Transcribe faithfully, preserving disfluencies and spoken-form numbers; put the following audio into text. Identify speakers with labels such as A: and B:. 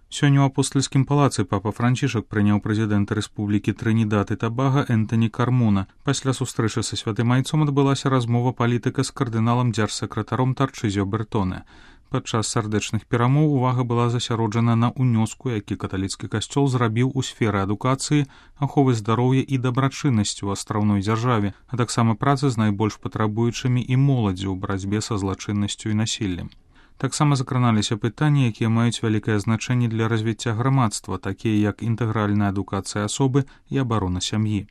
A: Сёння ў апостальскім палацы папа Францішак прыняў прэзідэнта рэспублікі Трынідад і Табага Энтані Кармона. Пасля сустрэчы са святым айцом адбылася размова палітыка з кардыналам дзяржсакратаром Тарчызё Бертоне. Падчас сардэчных перамоў увага была засяроджана на ўнёску, які каталіцкі касцёл зрабіў у сферы адукацыі, аховы здароўя і дабрачыннасці ў астраўной дзяржаве, а таксама працы з найбольш патрабуючымі і моладдзю ў барацьбе са злачыннасцю і насіллем. Таксама закраналіся пытанні, якія маюць вялікае значэнне для развіцця грамадства, такія як інтэгральная адукацыя асобы і абарона сям'і.